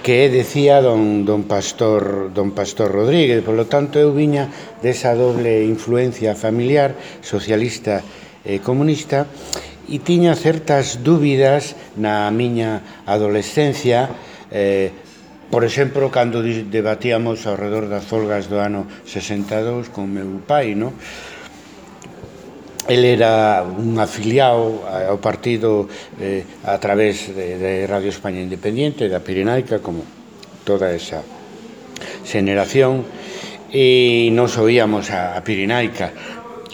que decía don Pastor Rodríguez. Por lo tanto, eu viña desa doble influencia familiar, socialista e comunista, e tiña certas dúbidas na miña adolescencia, por exemplo, cando debatíamos ao redor das folgas do ano 62 con meu pai, non? Ele era un afiliado ao partido a través de Radio España Independiente, da Pirenaica, como toda esa xeneración, e nos oíamos a Pirenaica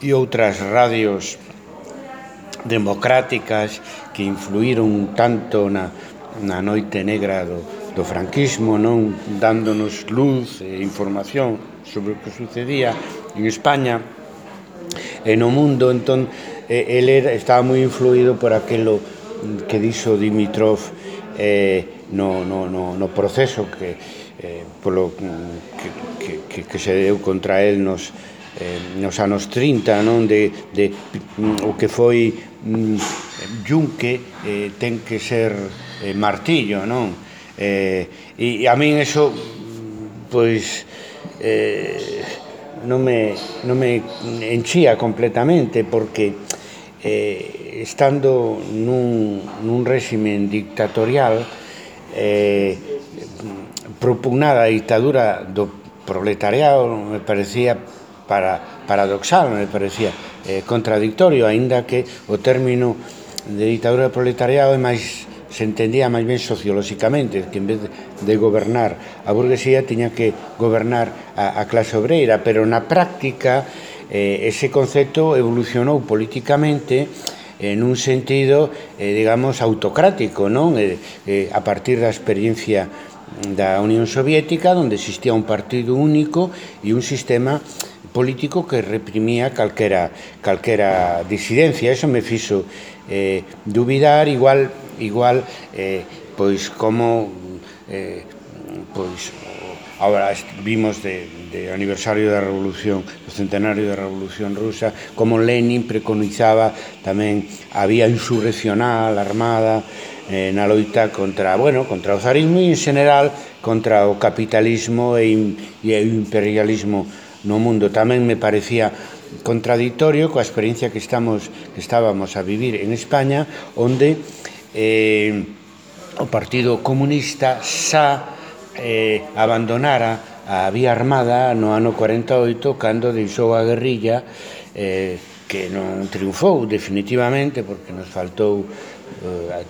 e outras radios democráticas que influíron tanto na noite negra do franquismo, non, dándonos luz e información sobre o que sucedía en España e no mundo. Entón, ele estaba moi influído por aquilo que dixo Dimitrov no proceso que se deu contra el nos anos 30, non, de o que foi yunque ten que ser martillo, non? E a min eso, pois, non me enchía completamente, porque estando nun réximen dictatorial, propugnar a dictadura do proletariado me parecía paradoxal, me parecía contradictorio, aínda que o término de dictadura do proletariado se entendía máis ben sociolóxicamente, que en vez de gobernar a burguesía tiña que gobernar a clase obreira, pero na práctica ese concepto evolucionou políticamente nun sentido, digamos, autocrático, non? A partir da experiencia da Unión Soviética, onde existía un partido único e un sistema político que reprimía calquera disidencia. Eso me fixo dubidar, igual pois como pois agora vimos de aniversario da Revolución, do centenario da Revolución Rusa, como Lenin preconizaba tamén a vía insurreccional armada na loita contra o zarismo e en general contra o capitalismo e o imperialismo no mundo. Tamén me parecía contradictorio coa experiencia que estábamos a vivir en España, onde o Partido Comunista xa abandonara a vía armada no ano 48, cando deixou a guerrilla, que non triunfou definitivamente, porque nos faltou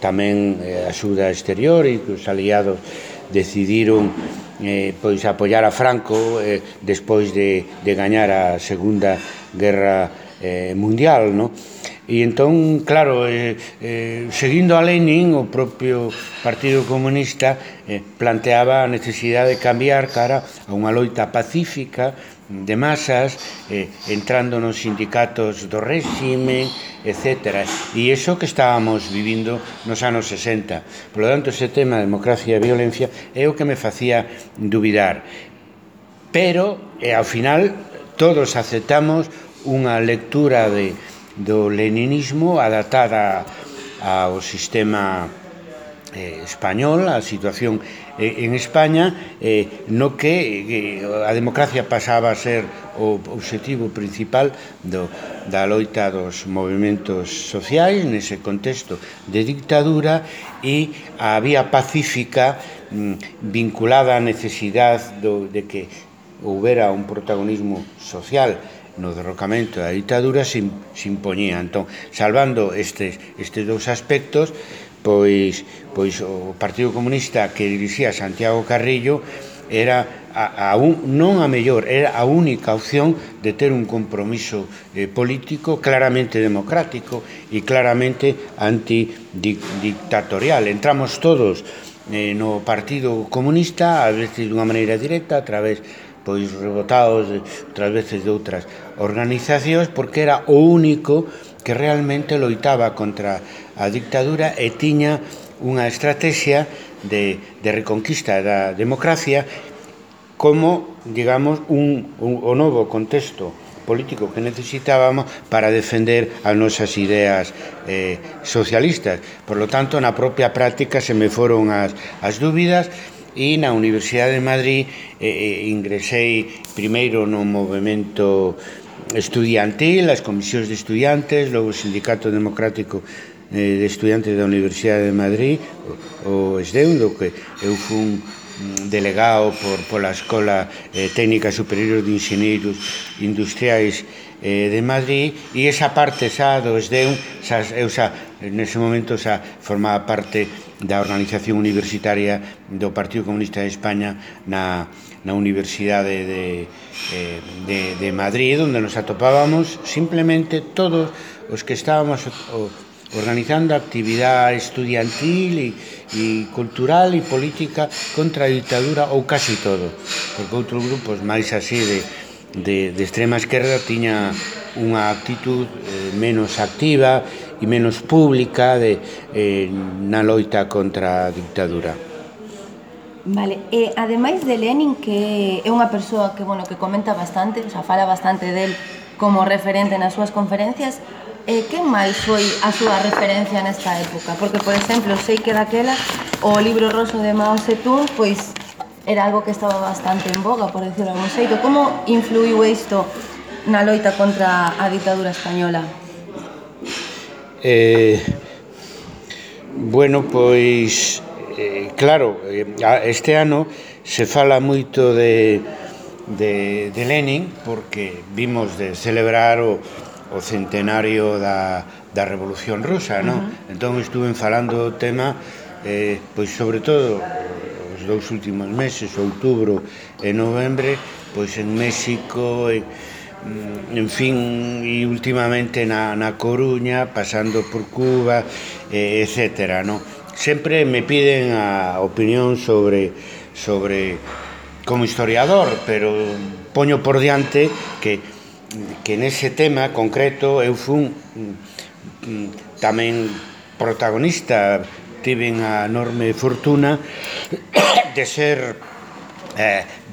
tamén axuda exterior, e que os aliados decidiron pois apoiar a Franco despois de gañar a Segunda Guerra Mundial, non? E entón, claro, seguindo a Lenin, o propio Partido Comunista planteaba a necesidade de cambiar cara a unha loita pacífica de masas, entrando nos sindicatos do réxime, etc. E iso que estábamos vivindo nos anos 60. Por lo tanto, ese tema de democracia e violencia é o que me facía dubidar. Pero, ao final, todos aceptamos unha lectura do leninismo adaptada ao sistema español, a situación en España, no que a democracia pasaba a ser o obxectivo principal da loita dos movimentos sociais nese contexto de dictadura, e a vía pacífica vinculada á necesidade de que houbera un protagonismo social no derrocamento da dictadura se impoñía. Entón, salvando estes dous aspectos, pois o Partido Comunista que dirixía Santiago Carrillo era non a mellor, era a única opción de ter un compromiso político claramente democrático e claramente antidictatorial. Entramos todos no Partido Comunista, a veces dunha maneira directa, a través pois rebotados outras veces de outras organizacións, porque era o único que realmente loitaba contra a dictadura e tiña unha estrategia de reconquista da democracia como, digamos, o novo contexto político que necesitábamos para defender as nosas ideas socialistas. Por lo tanto, na propia práctica se me foron as dúbidas, e na Universidade de Madrid ingresei primeiro no movimento estudiantil, as comisións de estudiantes, logo o Sindicato Democrático de Estudiantes da Universidade de Madrid, o ESDEU, do que eu fui delegado pola Escola Técnica Superior de Enxeneiros Industriais de Madrid, e esa parte xa do ESDEU, eu xa nese momento xa formaba parte da organización universitaria do Partido Comunista de España na Universidade de Madrid, onde nos atopábamos simplemente todos os que estábamos organizando actividade estudiantil e cultural e política contra a dictadura, ou casi todo, porque outros grupos máis así de extrema esquerda tiña unha actitud menos activa e menos pública na loita contra a dictadura. Vale, e ademais de Lenin, que é unha persoa que comenta bastante, o sea, fala bastante del como referente nas súas conferencias, quen máis foi a súa referencia nesta época? Porque, por exemplo, sei que daquela o libro roso de Mao Zedong, pois, era algo que estaba bastante en boga, por decirlo de algún xeito. Como influiu isto na loita contra a ditadura española? Bueno, pois, claro, este ano se fala moito de Lenin, porque vimos de celebrar o centenario da Revolución Rusa, non? Entón estuve falando do tema, pois sobre todo os dous últimos meses, outubro e novembre, pois en México, en fin, e últimamente na Coruña, pasando por Cuba, etcétera, non? Sempre me piden a opinión sobre como historiador, pero poño por diante que nese tema concreto eu fui tamén protagonista, tiven a enorme fortuna de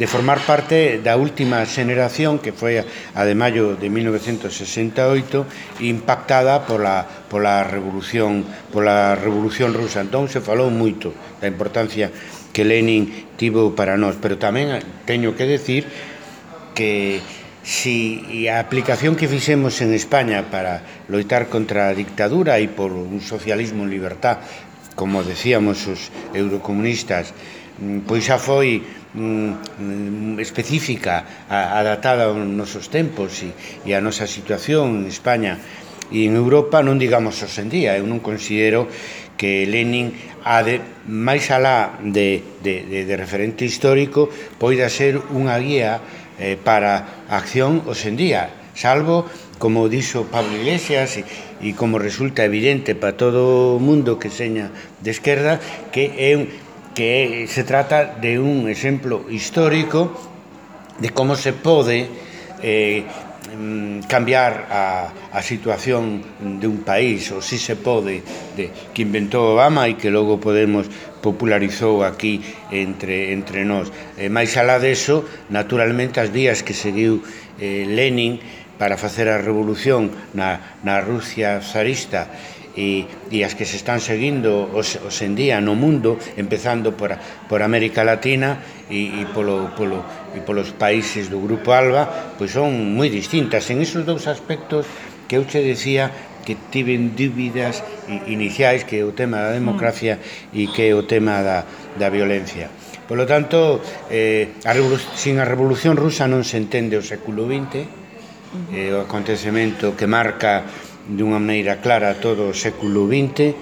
formar parte da última xeneración, que foi a de maio de 1968, impactada pola revolución rusa. Entón se falou moito da importancia que Lenin tivo para nós, pero tamén teño que decir que si a aplicación que fixemos en España para loitar contra a dictadura e por un socialismo en libertad, como decíamos os eurocomunistas, pois xa foi específica, adaptada aos nosos tempos e a nosa situación en España e en Europa, non digamos hoxe en día. Eu non considero que Lenin, máis alá de referente histórico, poida ser unha guía para a acción hoxe en día, salvo, como dixo Pablo Iglesias, e como resulta evidente para todo o mundo que seña de esquerda, que se trata de un exemplo histórico de como se pode cambiar a situación de un país, ou si se pode, que inventou Obama e que logo Podemos popularizou aquí entre nós. Máis alá deso, naturalmente, as vías que seguiu Lenin para facer a revolución na Rusia zarista e as que se están seguindo hoxe en día no mundo, empezando por América Latina e polos países do Grupo ALBA, pois son moi distintas en esos dous aspectos que eu che decía que tiven dúbidas iniciais, que é o tema da democracia e que é o tema da violencia. Por lo tanto, sin a Revolución Rusa non se entende o século XX, o acontecemento que marca dunha maneira clara todo o século XX.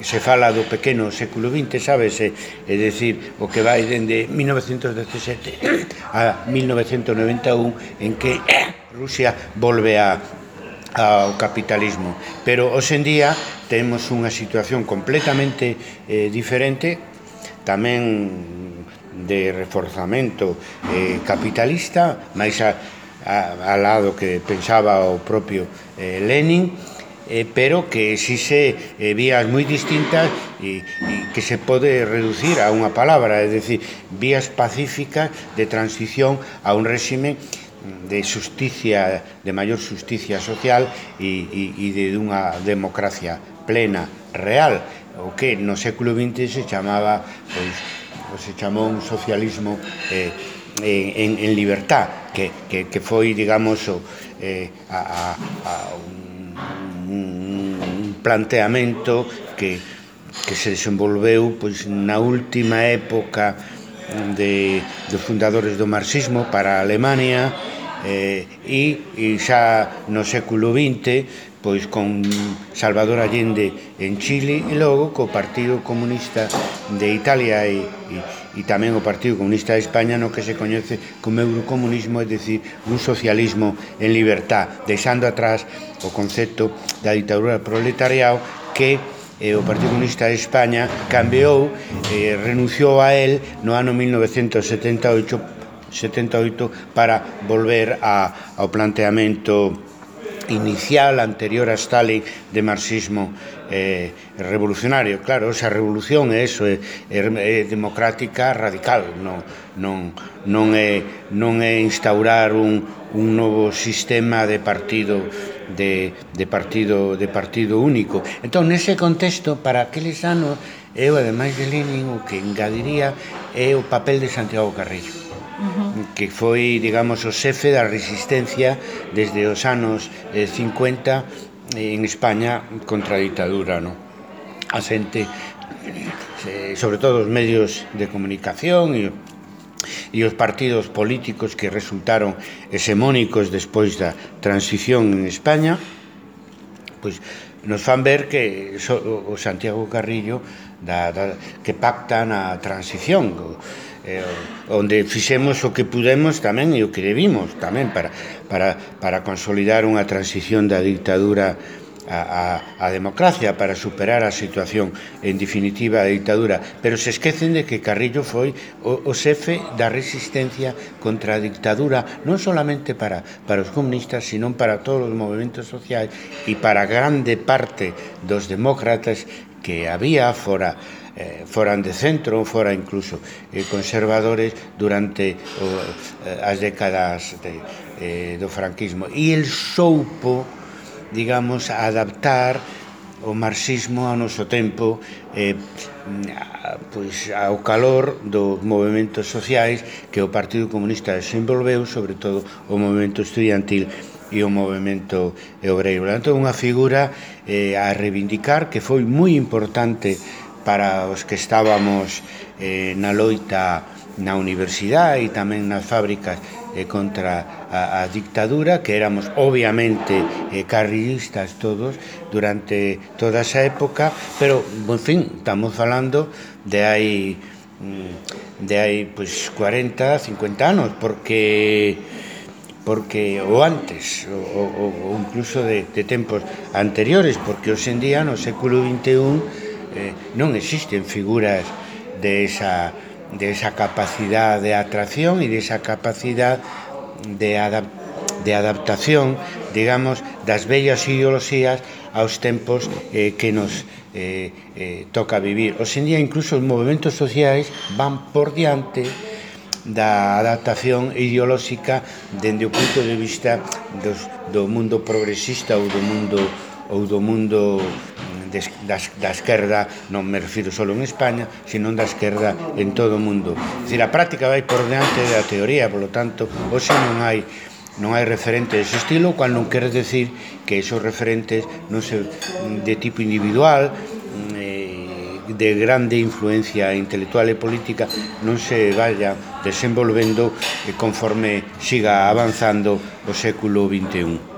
Se fala do pequeno século XX, sabes? É dicir, o que vai dende 1917 a 1991, en que Rusia volve ao capitalismo. Pero hoxe en día temos unha situación completamente diferente, tamén de reforzamento capitalista, máis al lado que pensaba o propio Lenin, pero que exige vías moi distintas e que se pode reducir a unha palabra, é dicir, vías pacíficas de transición a un réxime de xusticia, de maior xusticia social e de unha democracia plena, real, o que no século XX se chamaba, pois, se chamou un socialismo en libertad, que foi, digamos, un planteamento que se desenvolveu pois na última época dos fundadores do marxismo para a Alemania, e xa no século XX pois con Salvador Allende en Chile, e logo co Partido Comunista de Italia e tamén o Partido Comunista de España, no que se coñece como eurocomunismo, é dicir, un socialismo en libertad, deixando atrás o concepto da ditadura proletariado que o Partido Comunista de España cambiou, renunciou a él no ano 1978 para volver ao planteamento inicial, anterior a Stalin, de marxismo revolucionario. Claro, esa revolución é democrática radical, non é instaurar un novo sistema de partido único. Entón, nese contexto, para aqueles anos, eu, ademais de Lenin, o que engadiría é o papel de Santiago Carrillo, que foi, digamos, o xefe da resistencia desde os anos 50 en España contra a ditadura, non? A xente, sobre todo os medios de comunicación e os partidos políticos que resultaron hexemónicos despois da transición en España, pois nos fan ver que o Santiago Carrillo que pacta na transición, onde fixemos o que pudemos tamén e o que debimos tamén para consolidar unha transición da dictadura a democracia, para superar a situación en definitiva da dictadura, pero se esquecen de que Carrillo foi o xefe da resistencia contra a dictadura, non solamente para os comunistas, sino para todos os movimentos sociais e para grande parte dos demócratas que había foran de centro, fora incluso conservadores durante as décadas do franquismo. E el soupo, digamos, adaptar o marxismo ao noso tempo, pois ao calor dos movimentos sociais que o Partido Comunista desenvolveu, sobre todo o movimento estudiantil e o movimento obreiro. Portanto, unha figura a reivindicar, que foi moi importante para os que estábamos na loita na universidade e tamén nas fábricas contra a dictadura, que éramos obviamente carrillistas todos durante toda esa época, pero, en fin, estamos falando de hai pois 40, 50 anos, porque ou antes, ou incluso de tempos anteriores, porque hoxe en día no século XXI non existen figuras de esa capacidade de atracción e de esa capacidade de adaptación, digamos, das vellas ideoloxías aos tempos que nos toca vivir. Hoxe en día incluso os movimentos sociais van por diante da adaptación ideolóxica dende o punto de vista do mundo progresista ou do mundo da esquerda, non me refiro só en España, sino da esquerda en todo o mundo. É dicir, a práctica vai por diante da teoría, polo tanto, hoxe non hai referentes dese estilo, cual non quere decir que esos referentes non se de tipo individual, de grande influencia intelectual e política, non se vaya desenvolvendo conforme siga avanzando o século XXI.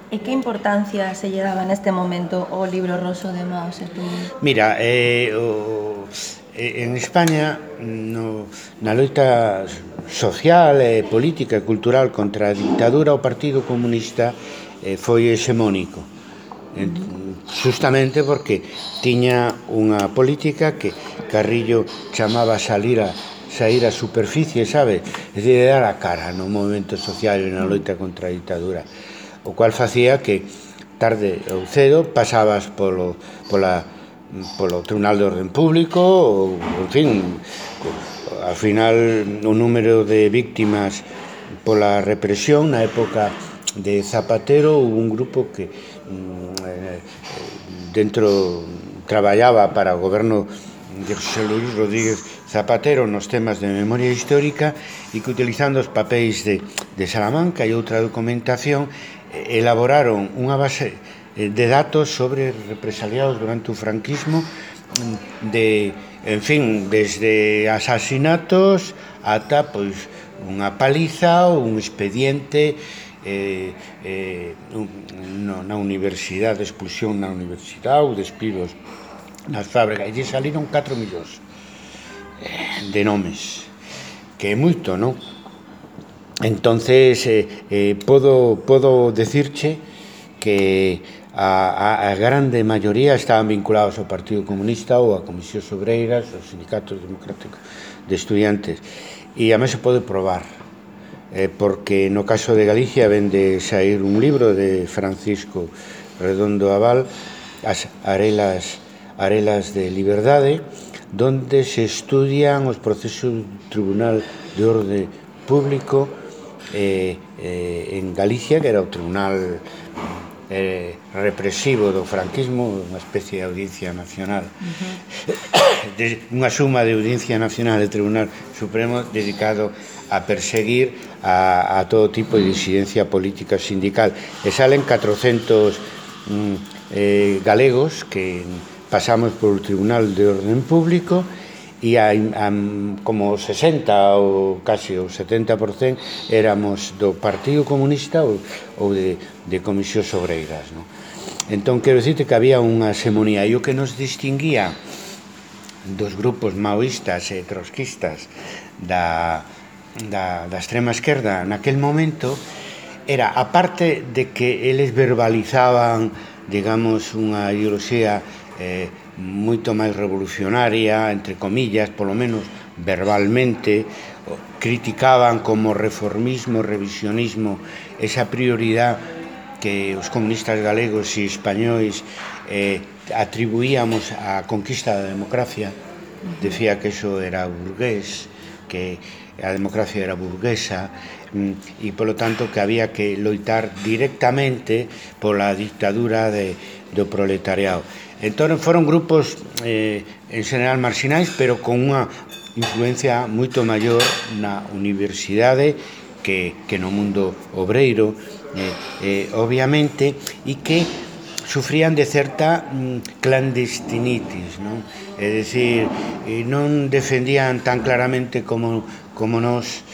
E que importancia se lle daba neste momento o libro roso de Mao Zedong? Mira, en España, na loita social, política e cultural contra a dictadura, o Partido Comunista foi hexemónico, justamente porque tiña unha política que Carrillo chamaba sair a superficie, sabe? É dicir, dar a cara no movimento social e na loita contra a dictadura, o cual facía que tarde ou cedo pasabas polo Tribunal de Orden Público, ou, en fin, ao final o número de víctimas pola represión na época de Zapatero, hubo un grupo que dentro traballaba para o goberno de José Luis Rodríguez Zapatero nos temas de memoria histórica e que utilizando os papéis de Salamanca e outra documentación elaboraron unha base de datos sobre represaliados durante o franquismo en fin, desde asasinatos ata pois unha paliza ou un expediente na universidade, expulsión na universidade ou despidos nas fábricas, e lle saliron 4 millóns de nomes, que é moito, non? Entonces podo decirche que a grande maioría estaban vinculados ao Partido Comunista ou a Comisións Obreiras, aos sindicatos democráticos de estudiantes, e a mí se pode probar, porque no caso de Galicia ven de sair un libro de Francisco Redondo Aval, As Arelas de Liberdade, donde se estudian os procesos do Tribunal de Orde Público en Galicia, que era o tribunal represivo do franquismo, unha especie de audiencia nacional, unha suma de audiencia nacional e Tribunal Supremo dedicado a perseguir a todo tipo de disidencia política sindical, e salen 400 galegos que pasamos por o Tribunal de Orden Público, e como 60 ou casi o 70% éramos do Partido Comunista ou de Comisións Obreiras, non? Entón, quero dicirte que había unha hegemonía, e o que nos distinguía dos grupos maoístas e trotskistas da extrema esquerda naquel momento era, a parte de que eles verbalizaban, digamos, unha ideoloxía moito máis revolucionaria, entre comillas, polo menos verbalmente, criticaban como reformismo, revisionismo, esa prioridade que os comunistas galegos e españois atribuíamos á conquista da democracia. Decía que eso era burgués, que a democracia era burguesa, e polo tanto que había que loitar directamente pola dictadura do proletariado. Entón foron grupos en general marxinais, pero con unha influencia moito maior na universidade que no mundo obreiro, obviamente, e que sufrían de certa clandestinitis, non? É dicir, non defendían tan claramente como nós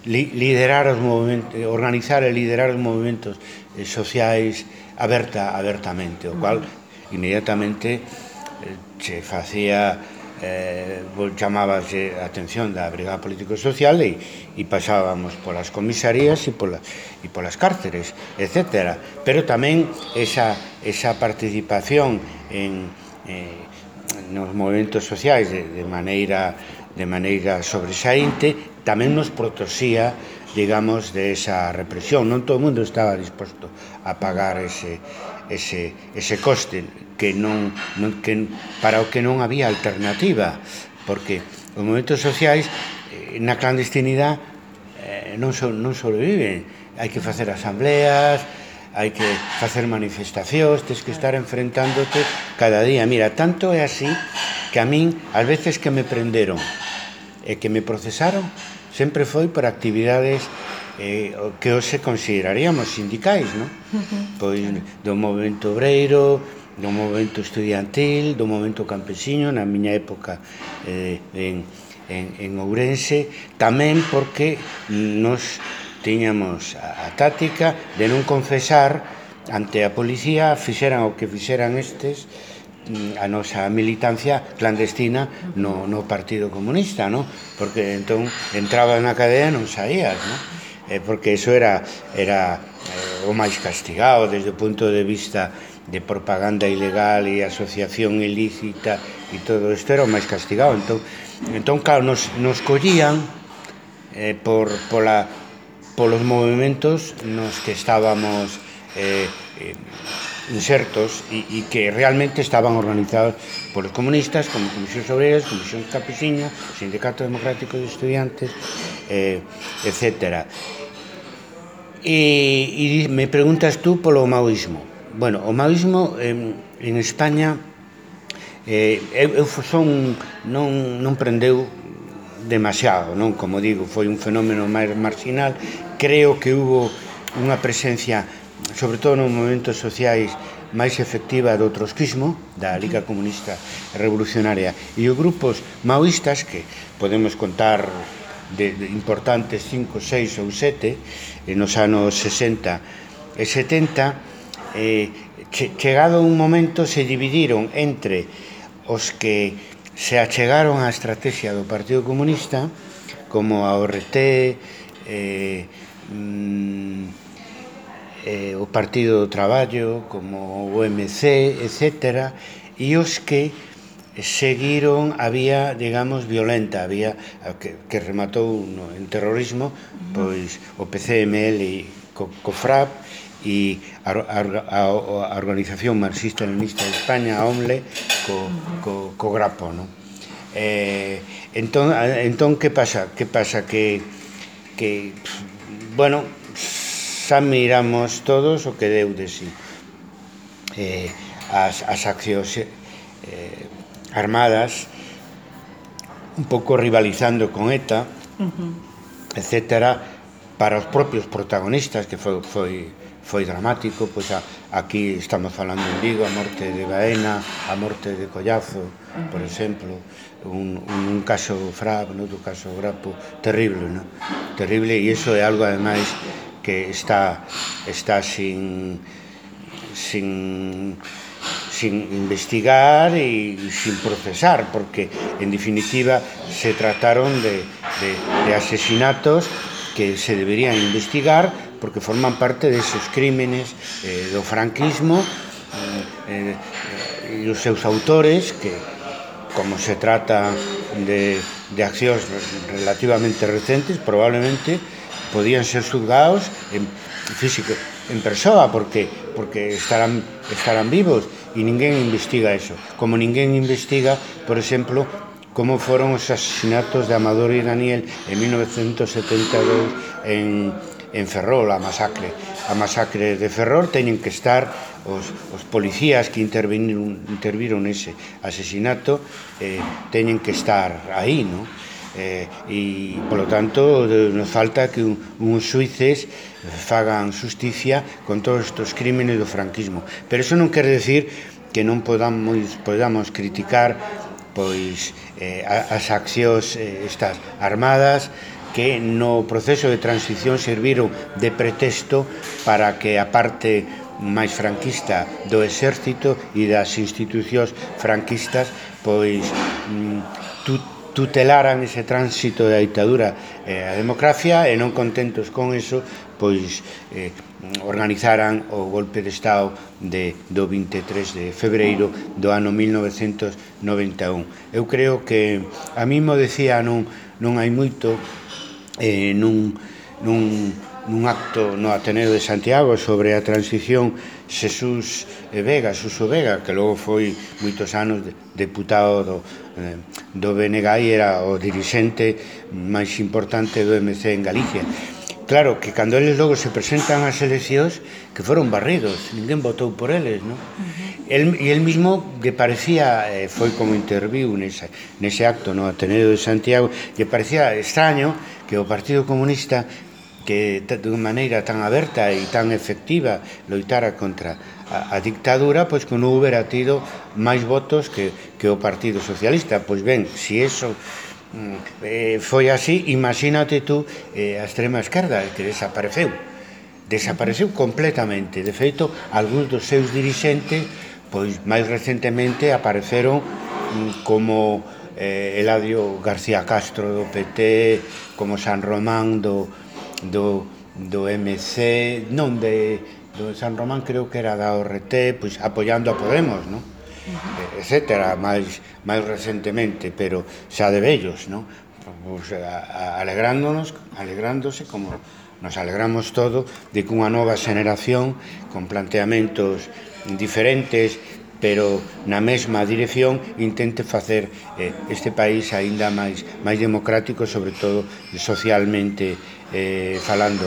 liderar os movimentos, organizar e liderar os movimentos sociais abertamente, o cual inmediatamente se facía, chamábase a atención da Brigada Político-Social e pasábamos polas comisarías e polas cárceres, etc. Pero tamén esa participación nos movimentos sociais de maneira sobresaínte tamén nos protexía, digamos, de esa represión. Non todo o mundo estaba disposto a pagar ese coste que para o que non había alternativa, porque os movimentos sociais na clandestinidade non sobreviven. Hai que facer asambleas, hai que facer manifestacións, tens que estar enfrentándote cada día. Mira, tanto é así que a min, ás veces que me prenderon e que me procesaron, sempre foi por actividades que hoxe consideraríamos sindicais, non? Pois do movimento obreiro, do movimento estudiantil, do movimento campesiño, na miña época en Ourense, tamén porque nos tiñamos a táctica de non confesar ante a policía, fixeran o que fixeran estes, a nosa militancia clandestina no Partido Comunista, non? Porque entón entrabas na cadea e non saías, non? Porque iso era o máis castigado desde o punto de vista de propaganda ilegal e asociación ilícita, e todo isto era o máis castigado. Entón claro, nos collían polos movimentos nos que estábamos insertos e que realmente estaban organizados polos comunistas, como Comisións Obreiras, Comisión Campesiña, Sindicato Democrático de Estudiantes, etc. E me preguntas tú polo maoísmo. Bueno, o maoísmo en España non prendeu demasiado, non? Como digo, foi un fenómeno máis marginal. Creo que hubo unha presencia, sobre todo nos momentos sociais, máis efectiva do trotskismo, da Liga Comunista Revolucionaria, e os grupos maoístas, que podemos contar de importantes 5, 6 ou 7 nos anos 60 e 70, chegado un momento se dividiron entre os que se achegaron á estrategia do Partido Comunista, como a ORT, o Partido do Traballo, como o MC, etc., e os que seguiron a vía, digamos, violenta, a vía que rematou en terrorismo, pois o PCML co FRAP e a Organización Marxista-Leninista de España, a OMLE, co Grapo, non? Entón, que pasa? Que bueno, xa miramos todos o que deu de si as accións armadas, un pouco rivalizando con ETA, etcétera, para os propios protagonistas, que foi dramático. Pois aquí estamos falando en Vigo, a morte de Baena, a morte de Collazo, por exemplo, un caso FRAP, outro caso Grapo, terrible, non? Terrible, e iso é algo, ademais, que está sin investigar e sin procesar, porque, en definitiva, se trataron de asesinatos que se deberían investigar, porque forman parte deses crímenes do franquismo, e os seus autores, que, como se trata de accións relativamente recentes, probablemente podían ser xulgados en persoa, porque estarán vivos, e ninguén investiga eso, como ninguén investiga, por exemplo, como foron os asesinatos de Amador e Daniel en 1972 en Ferrol, a masacre de Ferrol. Teñen que estar os policías que interviron nese asesinato, teñen que estar aí, non? E, polo tanto, nos falta que uns xuíces fagan xusticia con todos estes crímenes do franquismo. Pero iso non quere decir que non podamos criticar pois as accións estas armadas, que no proceso de transición serviron de pretexto para que a parte máis franquista do exército e das institucións franquistas pois tutelaran ese tránsito da ditadura a democracia, e non contentos con eso, pois organizaran o golpe de Estado do 23 de febreiro do ano 1991. Eu creo que, a mí mo decía non hai moito, nun acto no Ateneo de Santiago sobre a transición, Xesús Suso Vega, que logo foi moitos anos deputado do BNG e era o dirixente máis importante do MC en Galicia. Claro, que cando eles logo se presentan ás eleccións, que foron barridos, ninguén votou por eles, non? E el mismo, que parecía, foi como interviu nese acto no Ateneo de Santiago, que parecía extraño que o Partido Comunista, que de unha maneira tan aberta e tan efectiva loitara contra a dictadura, pois que non houbera tido máis votos que o Partido Socialista. Pois ben, se iso foi así, imagínate tú a extrema esquerda, que desapareceu completamente. De feito, algúns dos seus dirixentes, pois máis recentemente apareceron como Eladio García Castro do PT, como San Román do MC, non do San Román, creo que era da ORT, pois apoiando a Podemos, non? Etcétera, máis recentemente, pero xa de vellos, non? Pois alegrándose como nos alegramos todo de que unha nova xeneración con planteamentos diferentes, pero na mesma dirección, intente facer este país aínda máis democrático, sobre todo socialmente falando.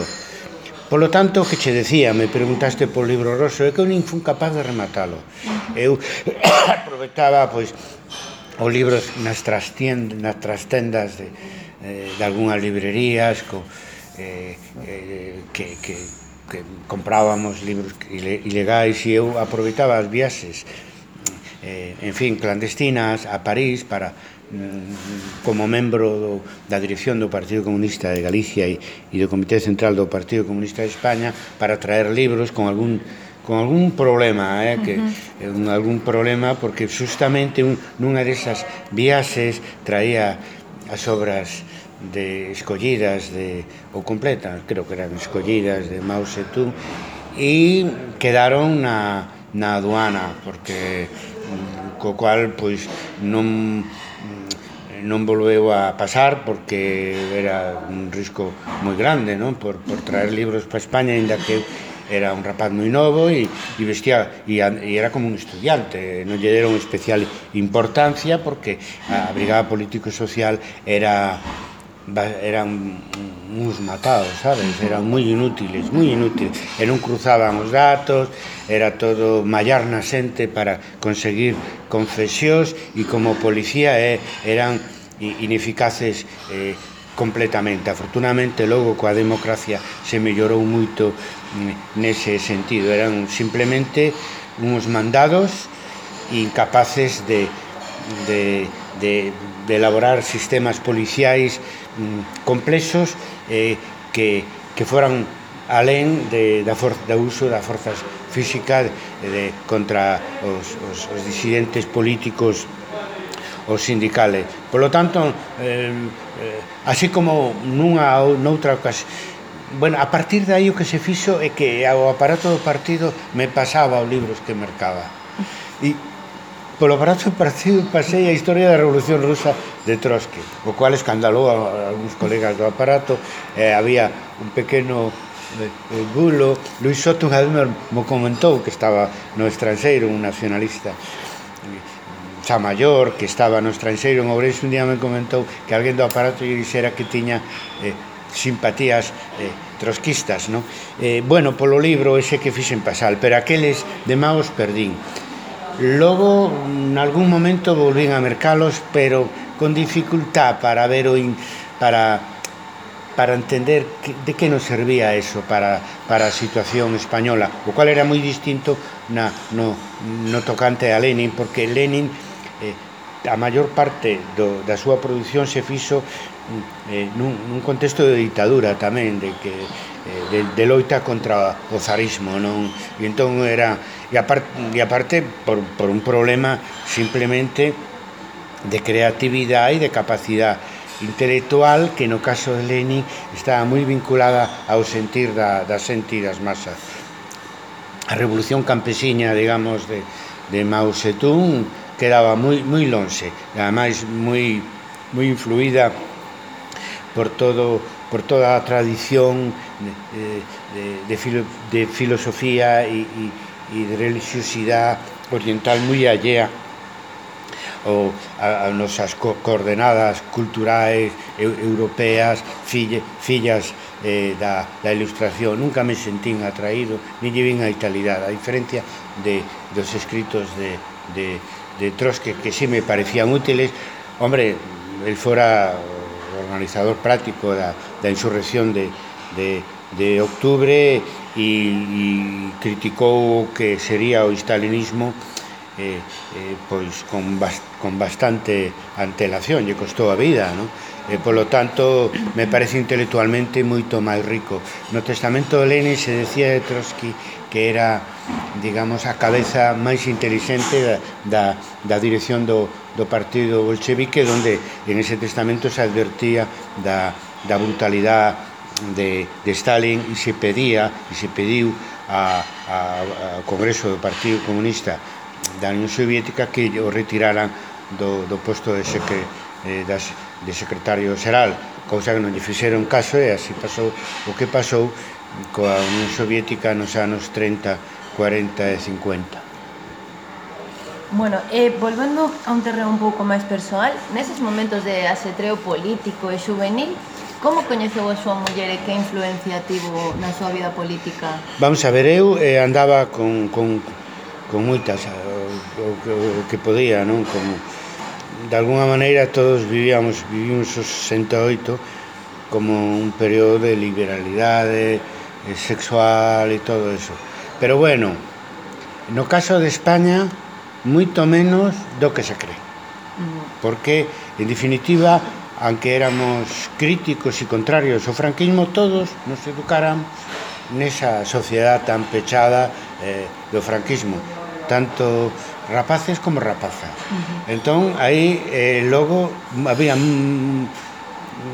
Polo tanto, que che decía, me preguntaste por Libro Roso, é que eu nin fun capaz de rematalo. Eu aproveitaba, pois, os libros nas trastendas de algunhas librerías que comprábamos libros ilegais e eu aproveitaba as viaxes en fin, clandestinas a París para como membro da dirección do Partido Comunista de Galicia e do Comité Central do Partido Comunista de España para traer libros con algún problema, algún problema, porque justamente nunha desas viaxes traía as obras escollidas ou completas, creo que eran escollidas de Mao Zedong, e quedaron na aduana, porque co cual pois non volveu a pasar, porque era un risco moi grande, non? Por traer libros para España, ainda que era un rapaz moi novo e vestía e era como un estudiante, non lle deron especial importancia porque a brigada político-social eran uns matados, sabes? Eran moi inútiles, e non cruzaban os datos, era todo mallar na xente para conseguir confesións e como policía eran ineficaces completamente. Afortunadamente, logo coa democracia se mellorou moito nese sentido. Eran simplemente uns mandados incapaces de elaborar sistemas policiais complexos que foran alén do uso das forzas físicas contra os disidentes políticos ou sindicales. Por lo tanto, así como noutra ocasión, bueno, a partir de aí o que se fixo é que ao aparato do partido me pasaba os libros que mercaba. E polo aparato do partido pasei a historia da Revolución Rusa de Trotsky, o cual escandalou a algúns colegas do aparato. Había un pequeno bulo. Luis Soto unha vez me comentou que estaba no estranxeiro, un nacionalista xa maior, que estaba no estranxeiro en Ourense, un día me comentou que alguén do aparato lle dixera que tiña simpatías trotskistas, non? Bueno, polo libro ese que fixen pasar, pero aqueles de Maos perdín. Logo, en algún momento volvín a mercalos, pero con dificultad para ver para entender de que nos servía eso para a situación española, o cual era moi distinto no tocante a Lenin, porque Lenin a maior parte da súa produción se fixo nun contexto de ditadura tamén, de loita contra o zarismo, non? E entón era e aparte por un problema simplemente de creatividade e de capacidade intelectual, que no caso de Lenin estaba moi vinculada ao sentir da xente e das masas. A revolución campesiña, digamos, de Mao Zedong quedaba moi lonxe, ademais moi influída por toda a tradición de filosofía e de religiosidade oriental moi allea a nosas coordenadas culturais europeas, fillas da Ilustración. Nunca me sentín atraído, nin lle vin a italidade, a diferencia dos escritos de Trotsky, que sí me parecían útiles. Hombre, el fora organizador práctico da insurrección de octubre e criticou o que sería o stalinismo pois con bastante antelación, lle costou a vida, non? Polo tanto, me parece intelectualmente moito máis rico. No testamento de Lenin se decía de Trotsky que era, digamos, a cabeza máis inteligente da dirección do partido bolchevique, donde en ese testamento se advertía da brutalidade de Stalin e se pediu ao Congreso do Partido Comunista da Unión Soviética que o retiraran do posto de secretario xeral, cousa que non lle fixeron caso, e así pasou o que pasou coa Unión Soviética nos anos 30, 40 e 50. Bueno, volvendo a un terreno un pouco máis persoal, neses momentos de asetreo político e juvenil, Como coñeceu a súa muller e que influencia tivo na súa vida política? Vamos a ver, eu andaba con moitas o que podía, non? Como, de alguna maneira todos vivimos os 68 como un período de liberalidade sexual e todo eso. Pero bueno, no caso de España, moito menos do que se cree. Porque, en definitiva, aunque éramos críticos e contrarios ao franquismo, todos nos educaran nesa sociedade tan pechada do franquismo, tanto rapaces como rapazas. Entón, aí logo había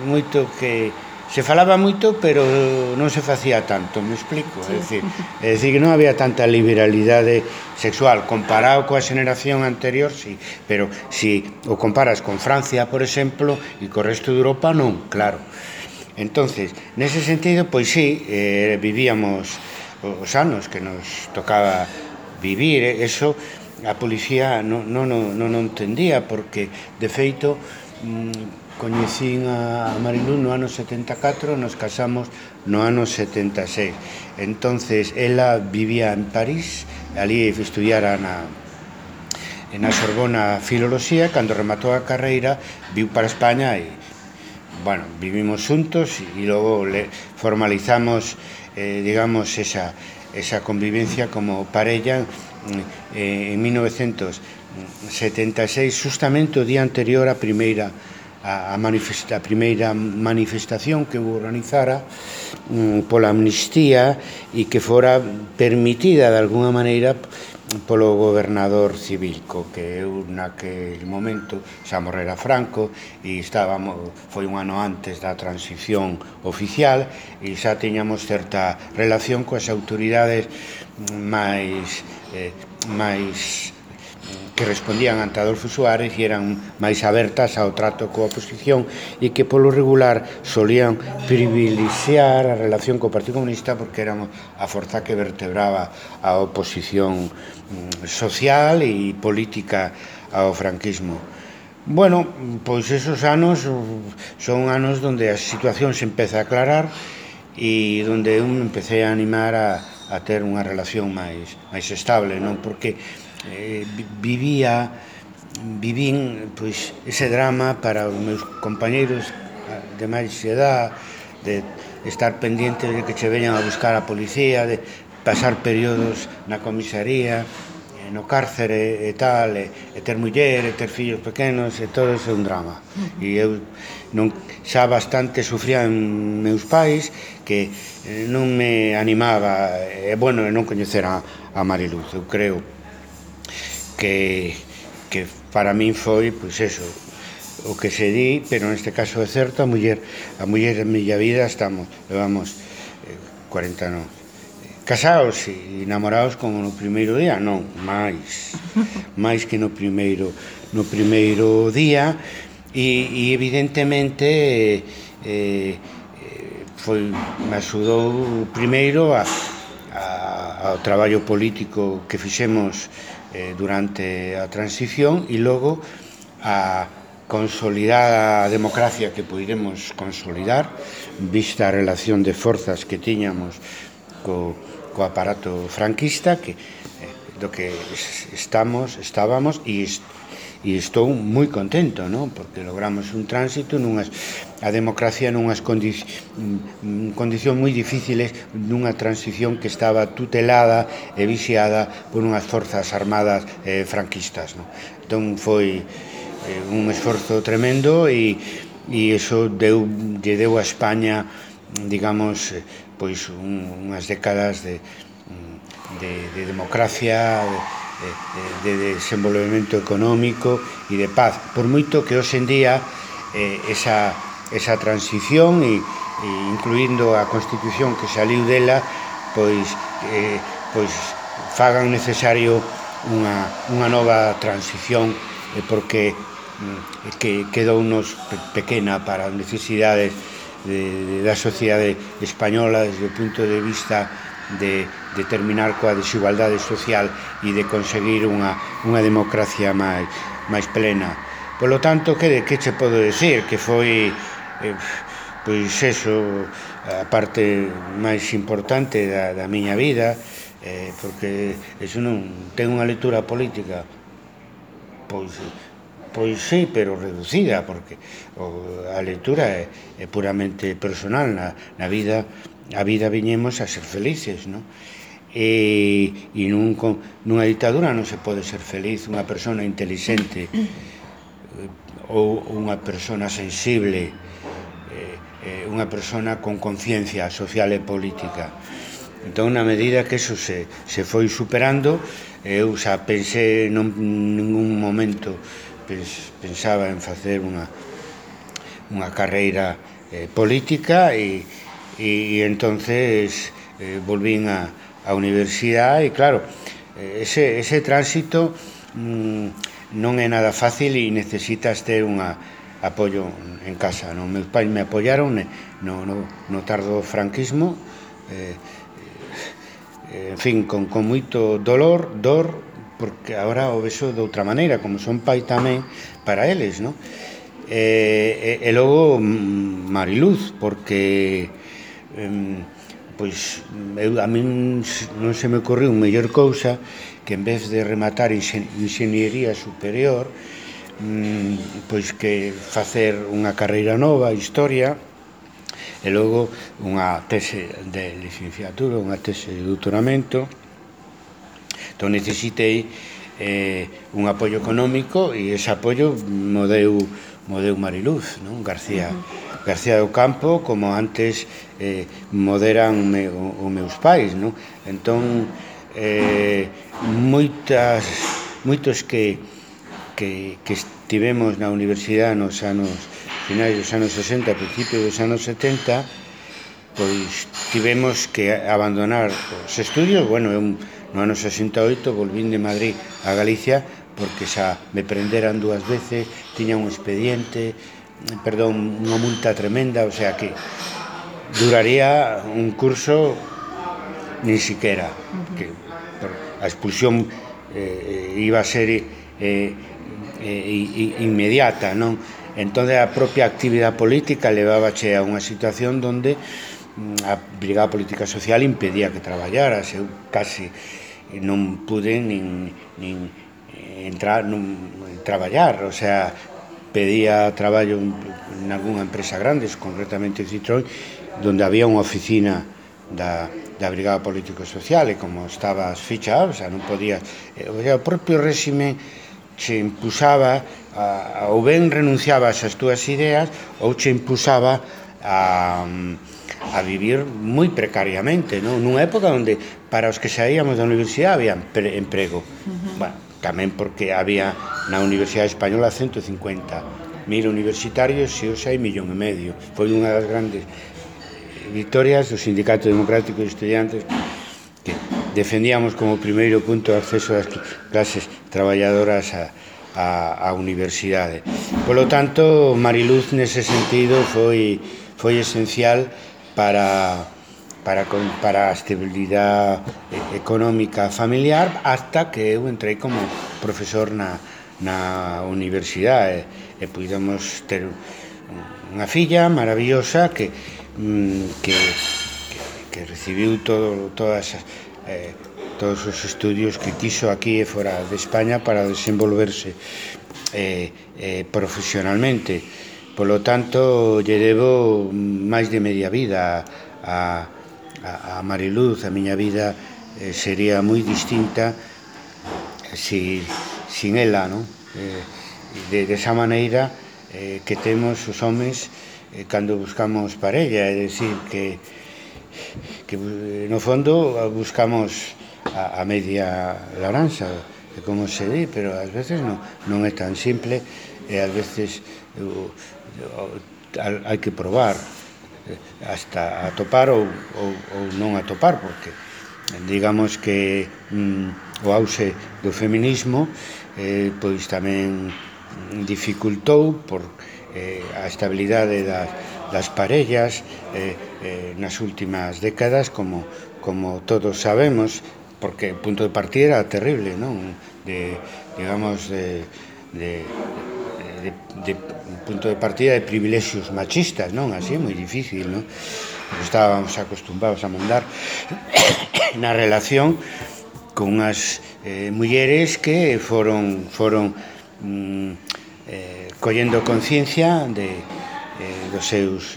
moito que se falaba moito, pero non se facía tanto, me explico? Sí. É dicir, que non había tanta liberalidade sexual comparado coa xeneración anterior, sí, pero se o comparas con Francia, por exemplo, e co resto de Europa, non, claro. Entonces, nese sentido, pois sí, vivíamos os anos que nos tocaba vivir, eso a policía non entendía, porque, de feito, coñecín a Marilú no ano 74, nos casamos no ano 76. Entonces, ela vivía en París, ali estudiara na Sorbona Filoloxía, cando rematou a carreira, viu para España e, bueno, vivimos xuntos e logo formalizamos, digamos, esa convivencia como parella en 1976, justamente o día anterior a primeira manifestación que organizara pola amnistía e que fora permitida de alguna maneira polo gobernador civil, que eu naquele momento xa morrera Franco e foi un ano antes da transición oficial e xa tiñamos certa relación coas autoridades máis que respondían ante Adolfo Suárez e eran máis abertas ao trato coa oposición e que polo regular solían privilexiar a relación co Partido Comunista porque eran a forza que vertebraba a oposición social e política ao franquismo. Bueno, pois esos anos son anos onde a situación se empeza a aclarar e onde eu me empecé a animar a ter unha relación máis estable, non? Porque vivín pois ese drama para os meus compañeiros de máis edad, de estar pendientes de que che veñan a buscar a policía, de pasar períodos na comisaría, no cárcere e tal, e ter muller, e ter fillos pequenos, e todo iso é un drama. E eu xa bastante sufría en meus pais que non me animaba, e bueno, non coñecer a Mariluz. Eu creo que para min foi, pois eso, o que se di, pero neste caso é certo, a muller da miña vida, levamos 40 anos casados e namorados como no primeiro día, non, máis que no primeiro día, e evidentemente me axudou primeiro ao traballo político que fixemos durante a transición e logo a consolidar a democracia que poidemos consolidar vista a relación de forzas que tiñamos co aparato franquista do que estábamos e estou moi contento, non? Porque logramos un tránsito a democracia nunhas condicións moi difíciles, nunha transición que estaba tutelada e vixiada por unhas forzas armadas franquistas, non? Entón foi un esforzo tremendo e iso lle deu a España, digamos, pois unhas décadas de democracia, de desenvolvemento económico e de paz, por moito que hoxe en día esa transición e incluindo a Constitución que saliu dela pois fagan necesario unha nova transición porque quedounos pequena para as necesidades da sociedade española desde o punto de vista de terminar coa desigualdade social e de conseguir unha democracia máis plena. Polo tanto, que che podo decir? Que foi pois eso, a parte máis importante da miña vida, porque eso non ten unha lectura política, pois sí, pero reducida, porque a lectura é puramente personal. Na vida, a vida viñemos a ser felices, non? E nunha ditadura non se pode ser feliz. Unha persona inteligente ou unha persona sensible, unha persona con conciencia social e política. Entón, na medida que eso se foi superando, eu xa pensei, non ningún momento pensaba en facer unha carreira política, e entonces volvín á universidade, e claro, ese tránsito non é nada fácil e necesitas ter un apoio en casa, non? Meus pais me apoiaron no tardo franquismo, en fin, con moito dor, porque agora o vexo de outra maneira, como son pai tamén para eles, non? E logo Mariluz, porque pois a min non se me ocorreu mellor cousa que en vez de rematar inxeniería superior, pois que facer unha carreira nova, historia, e logo unha tese de licenciatura, unha tese de doutoramento. Entón necesitei un apoio económico, e ese apoio mo deu Mariluz, non? García do Campo, como antes moderan os meus pais, non? Entón moitos que estivemos na universidade nos anos finais dos anos 60, principios dos anos 70, pois tivemos que abandonar os estudios. Bueno, eu no ano 68 volvín de Madrid a Galicia porque xa me prenderan 2 veces, tiña un expediente, unha multa tremenda, o sea que duraría un curso nin siquiera, que a expulsión iba a ser inmediata, non? Entón a propia actividade política levábache a unha situación onde a Brigada Política Social impedía que traballaras. Eu casi non pude nin entrar, traballar, o sea, pedía traballo en algunha empresa grande, concretamente Citroën, onde había unha oficina da Brigada Político Social, e como estabas fichado, o sea, non podías, o propio réxime che impusaba, ou ben renunciabas ás túas ideas, ou che impusaba a vivir moi precariamente, non? Nunha época onde para os que saíamos da universidade había emprego. Bueno, tamén porque había na Universidade Española 150.000 universitarios, e hoxe hai 1,5 millón. Foi unha das grandes victorias do Sindicato Democrático de Estudiantes, que defendíamos como primeiro punto o acceso das clases traballadoras á universidade. Polo tanto, Mariluz nese sentido foi esencial para a estabilidade económica familiar, hasta que eu entrei como profesor na universidade, e pudemos ter unha filla maravillosa que recibiu todos os estudios que quiso aquí e fora de España para desenvolverse profesionalmente. Polo tanto, lle debo máis de media vida a Mariluz. A miña vida sería moi distinta sin ela, non? Desa maneira que temos os homes cando buscamos parella, é dicir, que no fondo buscamos a media laranxa, como se di, pero ás veces non é tan simple, e ás veces hai que probar hasta atopar ou non atopar, porque digamos que o auxe do feminismo pois tamén dificultou por a estabilidade das parellas nas últimas décadas, como todos sabemos, porque o punto de partida era terrible, non? De de punto de partida de privilexios machistas, non? Así é moi difícil, non? Estábamos acostumbrados a mandar na relación con unhas mulleres que foron collendo conciencia dos seus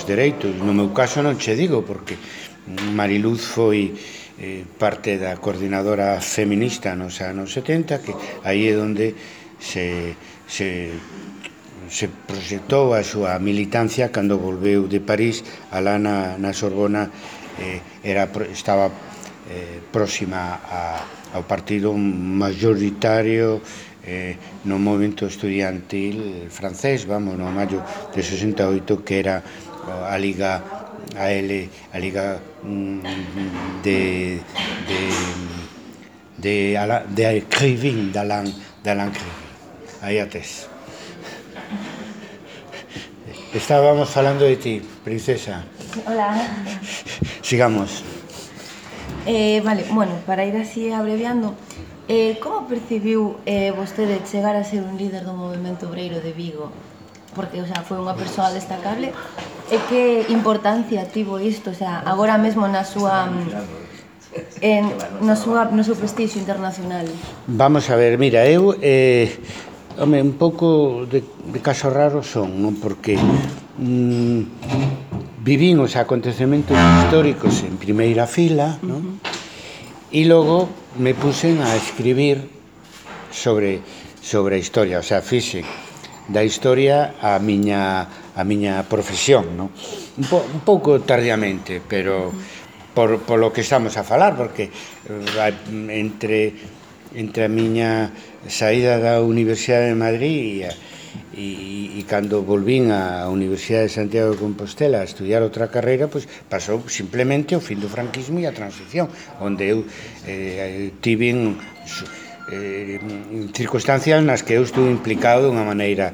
dereitos. No meu caso non che digo, porque Mariluz foi parte da coordinadora feminista nos anos 70, que aí é onde se proxectou a súa militancia cando volveu de París. Alá na Sorbona estaba próxima ao partido mayoritario no movimento estudiantil francés, vamos, no maio de 68, que era a Liga de Crivin, d'Alain Crivin. Aí a tes. Estábamos falando de ti, princesa. Hola. Sigamos. Vale, bueno, para ir así abreviando, como percibiu vostede chegar a ser un líder do movimento obreiro de Vigo? Porque, o sea, foi unha persoa destacable. E que importancia tivo isto, o sea, agora mesmo no seu prestixio internacional? Vamos a ver, mira, eu un pouco de caso raro son, non? Porque vivín os acontecementos históricos en primeira fila, non? E logo me puxen a escribir sobre a historia, o sea, fixen da historia a miña profesión, non? Un pouco tardiamente, pero por lo que estamos a falar, porque entre a miña saída da Universidade de Madrid e cando volvín á Universidade de Santiago de Compostela a estudiar outra carreira, pois pasou simplemente o fin do franquismo e a transición, onde eu tive circunstancias nas que eu estuve implicado de unha maneira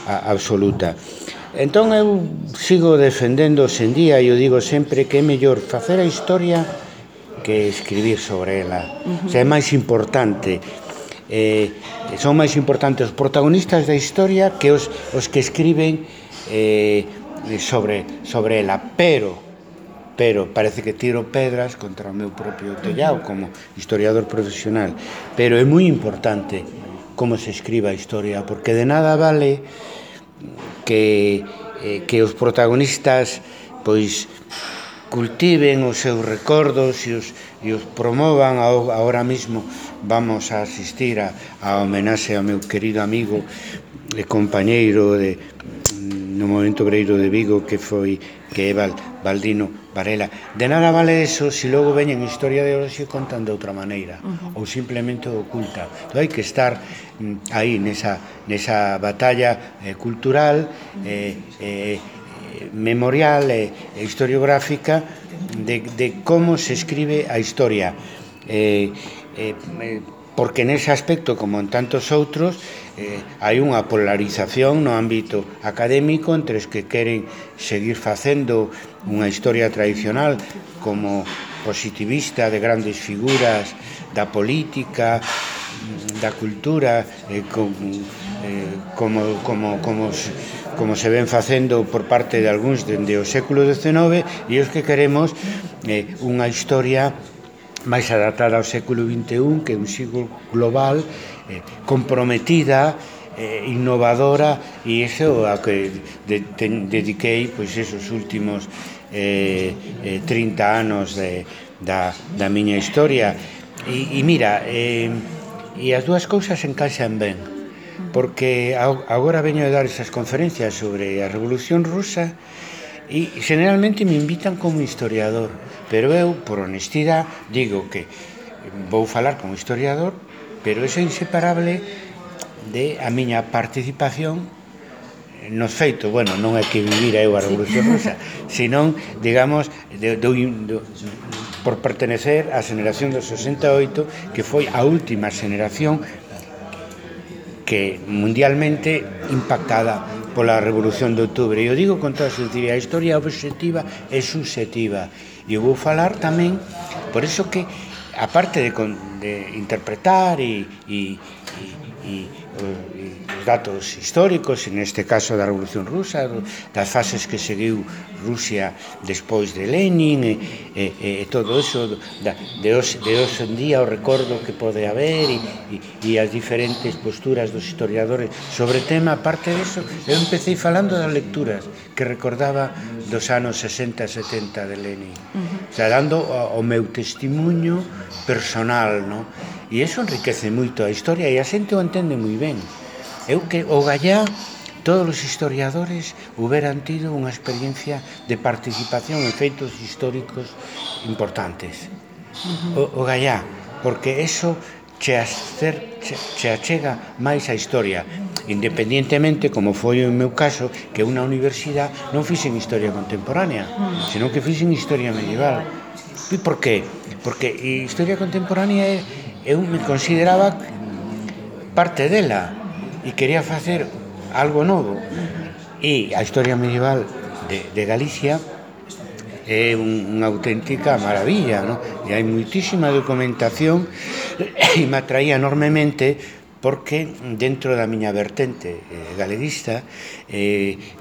absoluta. Entón eu sigo defendendo en día, e eu digo sempre que é mellor facer a historia que escribir sobre ela. O sea, é máis importante, son máis importantes os protagonistas da historia que os que escriben sobre ela, pero parece que tiro pedras contra o meu propio tellado como historiador profesional, pero é moi importante como se escriba a historia, porque de nada vale que os protagonistas pois cultiven os seus recordos e os promovan. Ahora mismo vamos a asistir a homenaxe ao meu querido amigo e compañeiro no movimento obreiro de Vigo, que é Baldino Varela. De nada vale eso se logo veñen historia de hoxe contando de outra maneira, ou simplemente oculta. Entón hai que estar aí nesa batalla cultural, memorial e historiográfica de como se escribe a historia, porque nese aspecto, como en tantos outros, hai unha polarización no ámbito académico entre os que queren seguir facendo unha historia tradicional como positivista de grandes figuras da política, da cultura, como se ven facendo por parte de algúns dende o século XIX, e os que queremos unha historia máis adaptada ao século XXI, que é un siglo global, comprometida, innovadora, e iso a que dediquei pois esos últimos 30 anos da miña historia. E mira, e as dúas cousas encaixan ben, porque agora veño a dar esas conferencias sobre a Revolución Rusa e generalmente me invitan como historiador, pero eu, por honestidade, digo que vou falar como historiador, pero iso é inseparable de a miña participación nos feitos. Bueno, non é que vivira eu a Revolución Rusa, senón, digamos, por pertenecer á xeración do 68, que foi a última xeración que mundialmente impactada pola Revolución de Outubro. E eu digo con toda sinceridade, a historia obxectiva é subxectiva, e eu vou falar tamén, por iso que, aparte de interpretar e os datos históricos, neste caso da Revolución Rusa, das fases que seguiu Rusia despois de Lenin, e todo iso de hoxe en día, o recordo que pode haber e as diferentes posturas dos historiadores sobre o tema. Aparte disso, eu empecé falando das lecturas que recordaba dos anos 60 e 70 de Lenin, o sea, dando o meu testimonio personal, no? E iso enriquece moito a historia e a xente o entende moi ben. Eu que o gallá, todos os historiadores houberan tido unha experiencia de participación en feitos históricos importantes. O gallá, porque eso che achega máis a historia, independientemente, como foi o meu caso, que unha universidade non fixen historia contemporánea, senón que fixen historia medieval. E por qué? Porque historia contemporánea eu me consideraba parte dela e quería facer algo novo, e a historia medieval de Galicia é unha auténtica maravilla, no? E hai moitísima documentación e me atraía enormemente porque dentro da miña vertente galeguista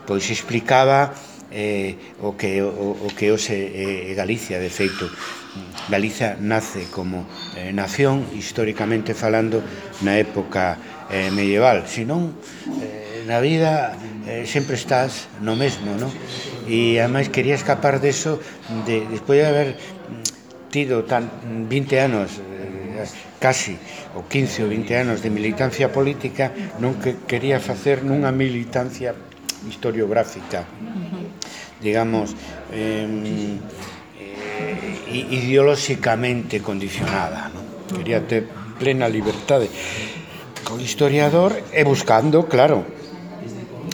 pois explicaba o que hoxe Galicia. De feito, Galicia nace como nación, históricamente falando, na época medieval, senón na vida sempre estás no mesmo, no? E ademais quería escapar deso, despois de haber tido 20 anos, casi, ou 15 ou 20 anos de militancia política, non que quería facer nunha militancia historiográfica, digamos, ideolóxicamente condicionada, no? Quería ter plena liberdade como historiador e buscando, claro,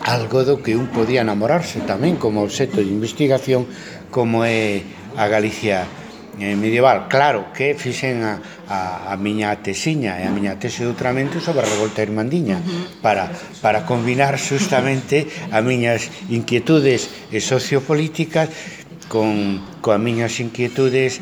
algo do que un podía enamorarse tamén como obxecto de investigación, como é a Galicia medieval. Claro que fixen a miña tesiña e a miña tese de doutoramento sobre a revolta irmandiña para combinar justamente as miñas inquietudes sociopolíticas coas miñas inquietudes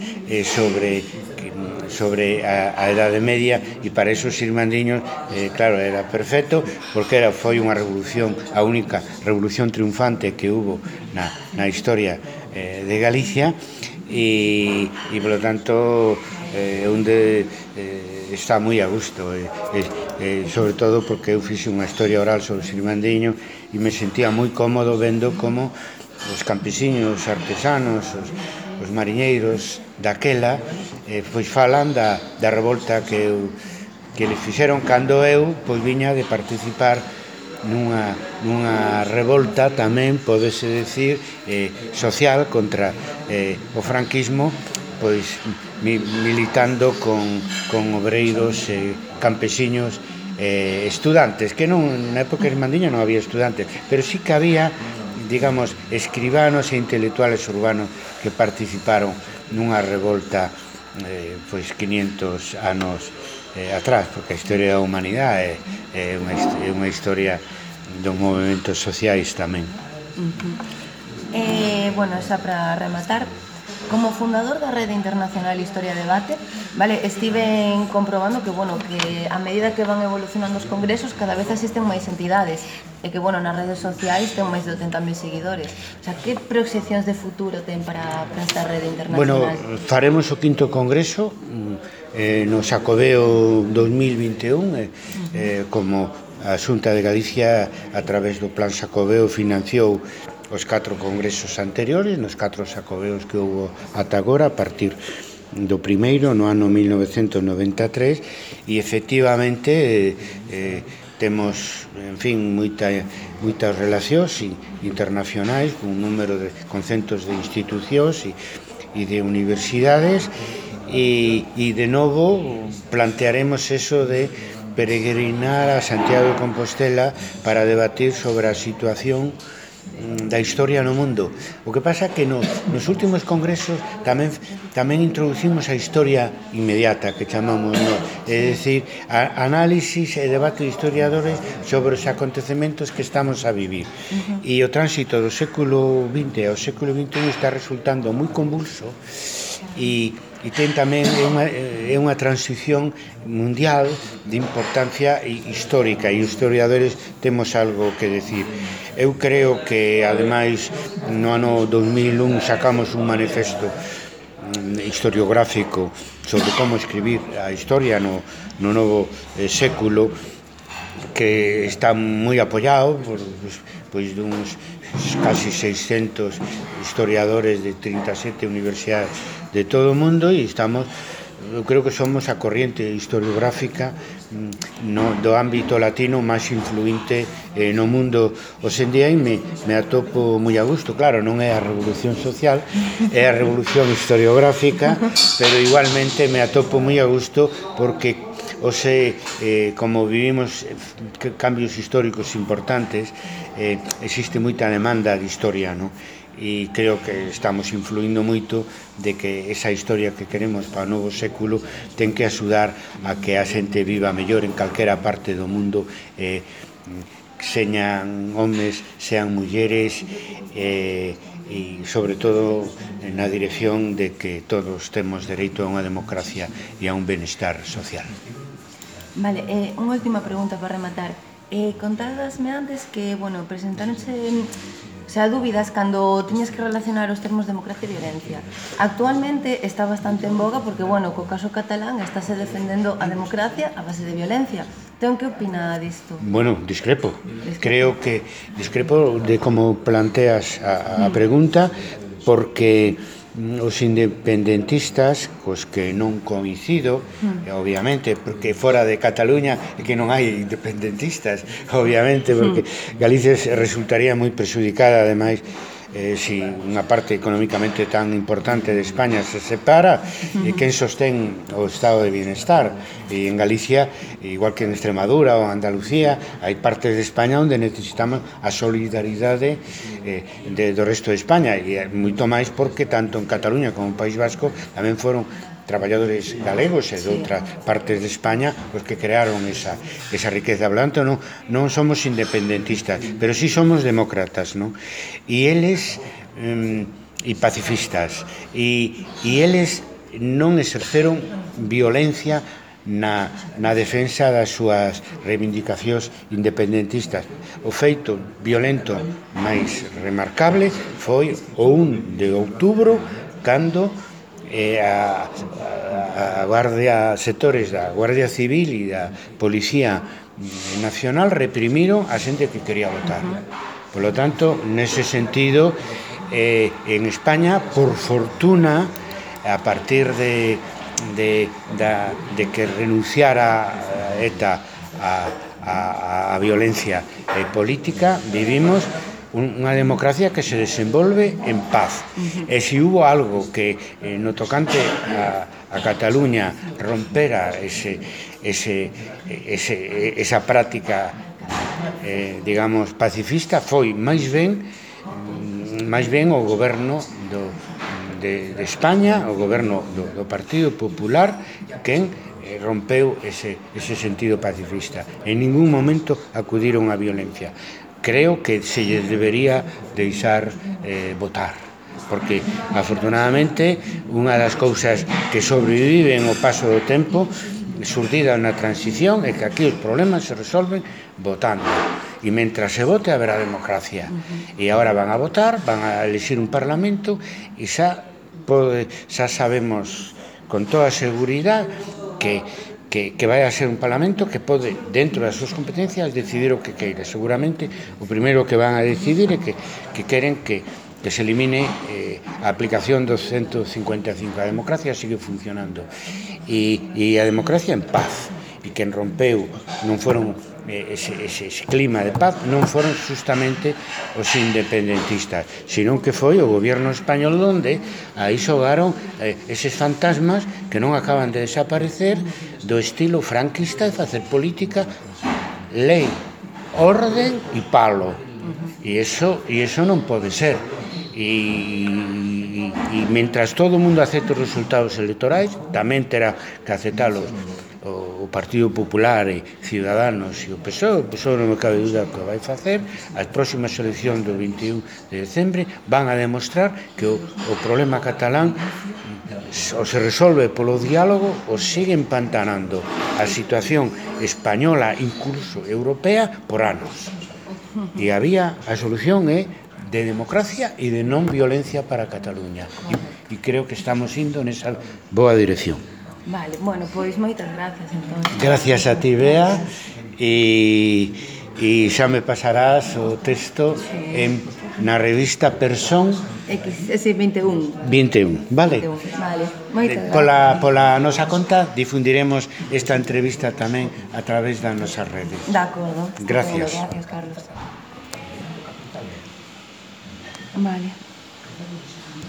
sobre a Edade Media, e para esos irmandiños, claro, era perfecto, porque foi unha revolución, a única revolución triunfante que hubo na historia de Galicia, e polo tanto onde está moi a gusto, sobre todo porque eu fixe unha historia oral sobre os irmandiños e me sentía moi cómodo vendo como os campesiños, os artesanos, os mariñeiros daquela pois falan da revolta que eles fixeron cando eu pois viña de participar nunha revolta tamén, podese decir, social contra o franquismo, pois militando con obreiros, campesiños, estudantes, que na época irmandiña non había estudantes, pero sí que había, digamos, escribanos e intelectuales urbanos que participaron nunha revolta pois 500 anos atrás, porque a historia da humanidade é unha historia dos movimentos sociais tamén. Bueno, xa para rematar, como fundador da Rede Internacional Historia Debate, vale, estiven comprobando que, bueno, que a medida que van evolucionando os congresos, cada vez asisten máis entidades, e que, bueno, nas redes sociais ten máis de 80.000 seguidores. O sea, que proxeccións de futuro ten para esta Rede Internacional? Bueno, faremos o quinto congreso no Xacobeo 2021, como a Xunta de Galicia, a través do Plan Xacobeo, financiou os 4 congresos anteriores, nos 4 xacobeos que houve ata agora, a partir do primeiro, no ano 1993, e efectivamente temos, en fin, moitas relacións internacionais con un número con centos de institucións e de universidades, e de novo plantearemos eso de peregrinar a Santiago de Compostela para debatir sobre a situación da historia no mundo. O que pasa é que nos últimos congresos tamén introducimos a historia inmediata, que chamamos, no? É dicir, análisis e debate de historiadores sobre os acontecementos que estamos a vivir. E o tránsito do século XX ao século XXI está resultando moi convulso, e ten tamén unha transición mundial de importancia histórica, e os historiadores temos algo que decir. Eu creo que, ademais, no ano 2001 sacamos un manifesto historiográfico sobre como escribir a historia no novo século, que está moi apoiado por duns casi 600 historiadores de 37 universidades de todo o mundo, e eu creo que somos a corriente historiográfica do ámbito latino máis influinte no mundo hoxendía, e me atopo moi a gusto. Claro, non é a revolución social, é a revolución historiográfica, pero igualmente me atopo moi a gusto porque como vivimos cambios históricos importantes, existe moita demanda de historia, non? E creo que estamos influindo moito de que esa historia que queremos para o novo século ten que axudar a que a xente viva mellor en calquera parte do mundo, señan homes, sean mulleres, e sobre todo na dirección de que todos temos dereito a unha democracia e a un benestar social. Vale, unha última pregunta para rematar. Contádasme antes que, presentáronse dúbidas cando tiñas que relacionar os termos democracia e violencia. Actualmente está bastante en boga porque, co caso catalán estáse defendendo a democracia a base de violencia. Entón, que opina disto? Discrepo. Creo que discrepo de como planteas a pregunta, porque os independentistas, cos que non coincido, obviamente, porque fora de Cataluña é que non hai independentistas, obviamente, porque Galicia resultaría moi perxudicada, ademais, si unha parte económicamente tan importante de España se separa, quen sostén o estado de bienestar? E en Galicia, igual que en Extremadura ou Andalucía, hai partes de España onde necesitamos a solidaridade do resto de España, e moito máis porque tanto en Cataluña como en País Vasco tamén foron traballadores galegos e de outras partes de España os que crearon esa riqueza. Por tanto, non somos independentistas, pero sí somos demócratas, non? E eles e pacifistas, e eles non exerceron violencia na defensa das súas reivindicacións independentistas. O feito violento máis remarcable foi o 1 de outubro, cando a Guardia, sectores da Guardia Civil e da Policía Nacional reprimiron a xente que quería votar. Por lo tanto, nese sentido, en España, por fortuna, a partir de que renunciara ETA a violencia política, vivimos unha democracia que se desenvolve en paz. E se hubo algo que no tocante a Cataluña rompera esa práctica, digamos, pacifista, foi máis ben o goberno de España, o goberno do Partido Popular, quen rompeu ese sentido pacifista. En ningún momento acudiron á violencia. Creo que se lles debería deixar votar, porque, afortunadamente, unha das cousas que sobreviven ao paso do tempo, xurdida na transición, é que aquí os problemas se resolven votando. E mentras se vote, haberá democracia. E agora van a votar, van a elixir un parlamento, e xa sabemos con toda seguridade que vai a ser un parlamento que pode, dentro das súas competencias, decidir o que queira. Seguramente o primeiro que van a decidir é que queren que se elimine a aplicación do 155. A democracia sigue funcionando, e a democracia en paz, e quen rompeu non foron ese clima de paz, non foron justamente os independentistas, senón que foi o goberno español, onde aí xogaron eses fantasmas que non acaban de desaparecer, do estilo franquista de facer política, lei, orden e palo. E iso non pode ser. E mentras todo o mundo acepte os resultados electorais, tamén terá que aceptalos o Partido Popular e Ciudadanos e o PSOE. O PSOE non me cabe dúda que o vai facer. As próximas eleccións do 21 de decembre van a demostrar que o problema catalán ou se resolve polo diálogo ou sigue empantanando a situación española, incluso europea, por anos. E a solución é de democracia e de non violencia para Cataluña. E creo que estamos indo nesa boa dirección. Vale, bueno, pois moitas gracias, entón. Gracias a ti, Bea, e xa me pasarás o texto na revista Persón X21. 21, vale? Vale, moitas gracias. Pola nosa conta difundiremos esta entrevista tamén a través das nosas redes. De acordo. Gracias. Gracias, Carlos. Vale.